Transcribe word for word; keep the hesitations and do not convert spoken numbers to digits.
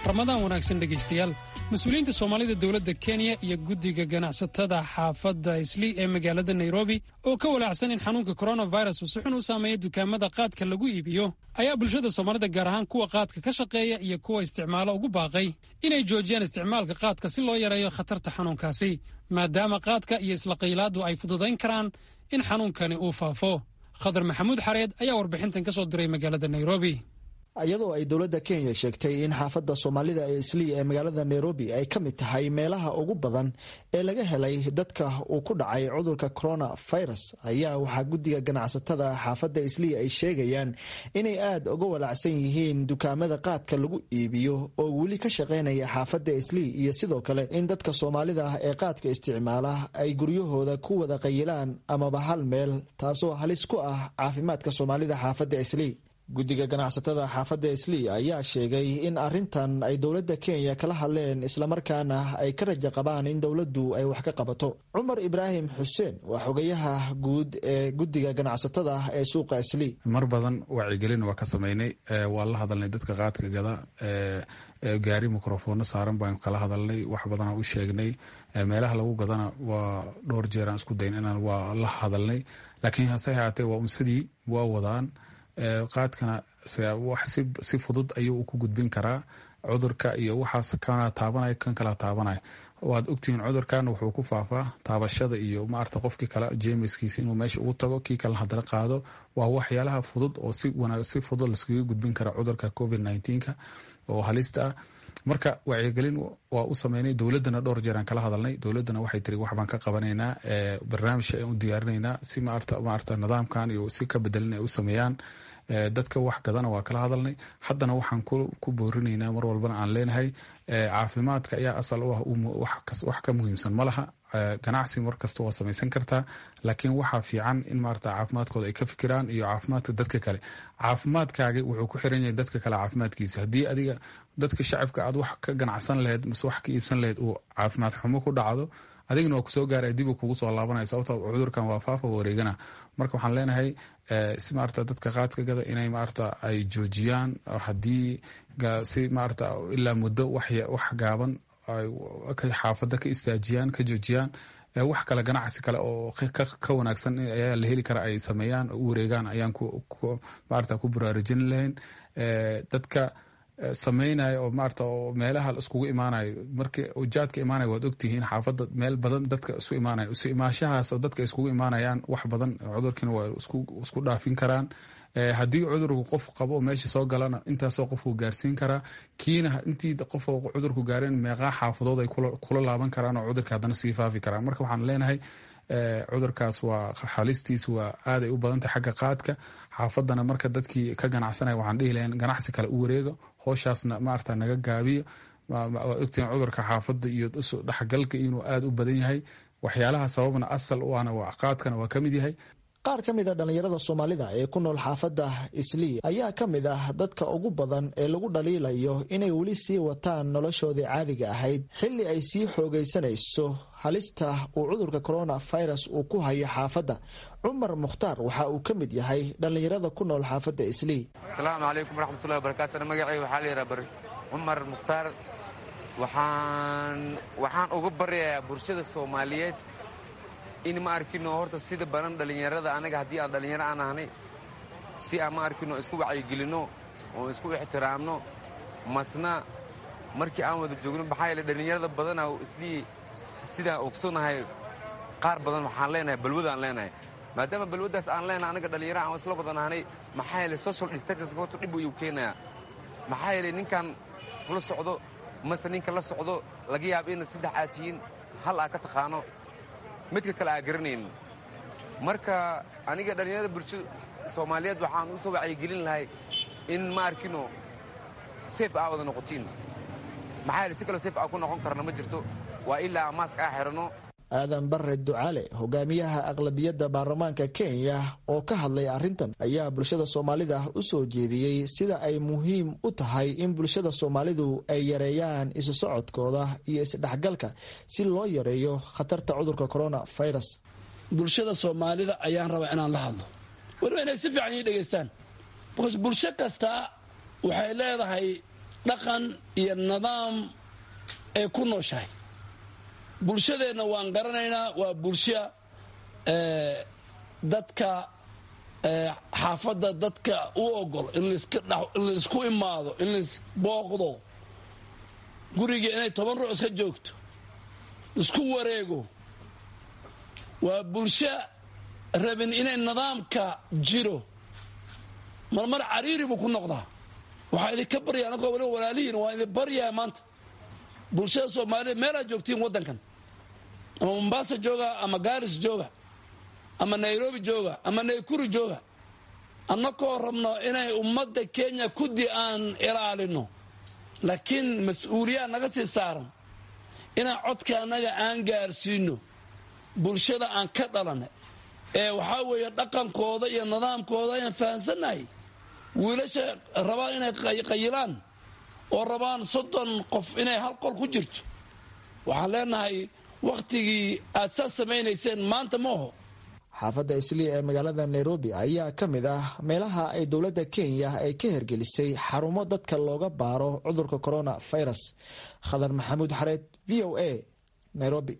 Ramadaan wanaagsan, dhegaystayaal. Mas-uuliyiinta Soomaalida, dowladda Kenya iyo guddiga ganacsatada xaafadda Islii ee magaalada Nairobi oo ka walaacsan in xanuunka coronavirus uu si xun u saameeya dukaamada qaadka lagu iibiyo ayaa bulshada Soomaalida, gaar ahaan kuwa qaadka ka shaqeeya iyo kuwa isticmaalo, ugu baaqay inay joojiyaan isticmaalka qaadka si loo yareeyo khatarta xanuunkaasi, maadaama qaadka iyo isla qaylaadu ay fududayn karaan in xanuunkani uu faafo. Khadar Maxamuud Xareed ayaa warbixintan ka soo diray magaalada Nairobi. Iyadoo ay dowladda Kenya sheegtay in xaafadda Soomaalida ee Islii ee magaalada Nairobi ay ka mid tahay meelaha ugu badan ee laga helay dadka uu ku dhacay cudurka coronavirus, ayaa waxaa guddiga ganacsatada xaafadda Islii ay sheegayaan inay aada uga walaacsan yihiin dukaamada qaadka lagu iibiyo oo weli ka shaqeynaya xaafadda Islii, iyo sidoo kale in dadka Soomaalida ah ee qaadka isticmaala ay guryahooda ku wada qayilaan amaba hal meel, taasoo halis ku ah caafimaadka Soomaalida xaafadda Islii. Guddiga ganacsatada xaafadda Islii ayaa sheegay in arrintan ay dowladda Kenya kala hadleen, islamarkaana ay ka rajo qabaan in dowladdu ay wax ka qabato. Cumar Ibraahim Xuseen waa xogayaha guud ee guddiga ganacsatada ee suuqa Islii. Mar badan wacyigelin waa ka sameynay, waa la hadalnay dadka qaadka gada, gaari microfono saaran baan kala hadalnay, wax badanaa u sheegnay. Meelaha lagu gadana waa dhowr jeer aan isku dayn inaan waa la hadalnay, laakiin hase haatee waa unsadii waa wadaan. Qaadkana wax si fudud ayuu ku gudbin karaa cudurka iyo waxaas, kana taabanaya kan kala taabanaya. Waad ogtihiin, cudurkan wuxuu ku faafaa taabashada iyo maarata qofkii kale jeemiskiisa inuu meesha ugu tago, kii kalena haddana qaado. Waa waxyaalaha fudud oo si wanaag si fudud laskaga gudbin kara cudurka covid nineteenka oo halista ah. Marka wacyigelin waa u sameynay, dowladdana dhowr jeer aan kala hadalnay. Dowladdana waxay tiri wax baan ka qabanaynaa, barnaamij ayaan u diyaarinaynaa si maarata maarata nidaamkan iyo si ka bedelin ay u sameeyaan. Dadka wax gadana waa kala hadalnay. Haddana waxaan ku boorinaynaa, mar walbana aan leenahay, caafimaadka ayaa asal u ah, wax ka muhiimsan ma laha. Ganacsi mar kasta waa samaysan kartaa, laakiin waxaa fiican in maarata caafimaadkooda ay ka fikiraan iyo caafimaadka dadka kale. Caafimaadkaagi wuxuu ku xiran yahay dadka kale caafimaadkiisa. Haddii adiga dadka shacabka aad wax ka ganacsan lahayd mise wax ka iibsan lahayd uu caafimaad xumo ku dhacdo, adigna waa kusoo gaaraya, dib uu kugu soo laabanaya, sababto cudurkan waa faafa, wareegana. Marka waxaan leenahay si maarata dadka qaadka gada inay maarata ay joojiyaan, haddii si maarata ilaa muddo wax wax gaaban xaafadda ka istaajiyaan, ka joojiyaan, wax kale ganacsi kale oo ka wanaagsan ayaa la heli kara ay sameeyaan oo u wareegaan ayaan maarata ku baraarujin lahayn. Dadka sameynaya oo maarata oo meelaha iskugu imaanayo, markii jaadka imaanaya, waad ogtihiin xaafadda meel badan dadka isu imaanaya, isu imaashahaas oo dadka iskugu imaanayaan wax badan cudurkiina waa isku isku dhaafin karaan. Haddii cudurku qof qabo meesha soo galana, intaasoo qof uu gaarsiin karaa, kiina intii qof cudurku gaareen meeqaa xaafadood ay kula laaban karaan oo cudurka haddana sii faafi karaan. Marka waxaan leenahay cudurkaas waa halistiis waa aaday u badantahay xagga qaadka xaafaddana. Marka dadkii ka ganacsanaya waxaan dhihi lahayn ganacsi kale u wareego, howshaasna maarata naga gaabiyo. Waad ogtihiin cudurka xaafadda iyo dhexgalka inuu aada u badan yahay, waxyaalaha sababna asal u ahna waa qaadkana waa ka mid yahay. Qaar ka mid a dhallinyarada Soomaalida ee ku nool xaafadda Islii ayaa ka mid ah dadka ugu badan ee lagu dhaliilayo inay weli sii wataan noloshoodii caadiga ahayd xilli ay sii xoogaysanayso halista uu cudurka coronavirus uu ku hayo xaafadda. Cumar Mukhtaar waxa uu ka mid yahay dhallinyarada ku nool xaafadda Islii. Asalaamu calaykum waraxmatullahi wabarakatu. Magacayga waxaa la yidhaha Cumar Mukhtaar. waxaan waxaan uga baryayaa bulshada Soomaaliyeed in ma arkino horta sida badan dhallinyarada, anaga haddii aan dhallinyaro aan ahnay, si aan ma arkino isku wacyigelinno oo isku ixtiraamno masna markii aan wada joogno. Maxaa yeele dhallinyarada badanaa Islii sidaan ogsonahay qaar badan waxaan leenahay balwadaan leenahay. Maadaama balwaddaas aan leenahay, anaga dhallinyaro aan isla wada nahnay, maxaa yeele social distancing horta dhib ayuu keenayaa. Maxaa yeele ninkan kula socdo mase ninka la socdo laga yaaba ina saddex aad tihiin, hal aa ka taqaano, midka kale aa garanaynin. Marka aniga dhallinyarada bulshada Soomaaliyeed waxaan u soo wacyigelin lahay in ma arkino safe aa wada noqotiin. Maxaa yeele si kaloo safe aa ku noqon karna ma jirto, waa ilaa mask aa xidhanno. Aadan Bare Ducaale, hogaamiyaha aqlabiyadda baarlamaanka Kenya oo ka hadlay arrintan, ayaa bulshada Soomaalida u soo jeediyey sida ay muhiim u tahay in bulshada Soomaalidu ay yareeyaan isu socodkooda iyo isdhexgalka si loo yareeyo khatarta cudurka coronavirus. Bulshada Soomaalida ayaan rabaa inaan la hadlo, weliba inay si fiican ii dhegaystaan, because bulsho kastaa waxay leedahay Dhaqan iyo nidaam ay ku nooshahay bulshadeenna waan garanaynaa. Waa bulsha dadka xaafadda dadka u ogol in laisku imaado, in laisbooqdo, guriga inay toban ruux iska joogto, isku wareego. Waa bulsho rabin inay nidaamka jiro. Marmar cariiri buu ku noqdaa. Waxaa idinka barya, anagoo waliba walaalihiin, waa idin baryaa maanta, bulshada Soomaalida meelaad joogtiin waddankan, ama Mombasa jooga, ama Gaaris jooga, ama Nairobi jooga, ama Naykuru jooga, annakoo rabno inay ummadda Kenya kuddi aan ilaalino, laakiin mas-uuliyaa naga sii saaran inaan codka annaga aan gaarsiino bulshada aan ka dhalanay, ee waxaa weeye dhaqankooda iyo nidaamkooda ayaan fahansannahay. Wiilasha rabaan inay qayilaan oo rabaan soddon qof inay hal qol ku jirto, waxaan leenahay wakhtigii aad saas samaynayseen maanta ma oho. Xaafadda Islii ee magaalada Nairobi ayaa ka mid ah meelaha ay dowladda Kenya ay ka hergelisay xarumo dadka looga baaro cudurka corona virus. Khadar Maxamuud Xareed, V O A, Nairobi.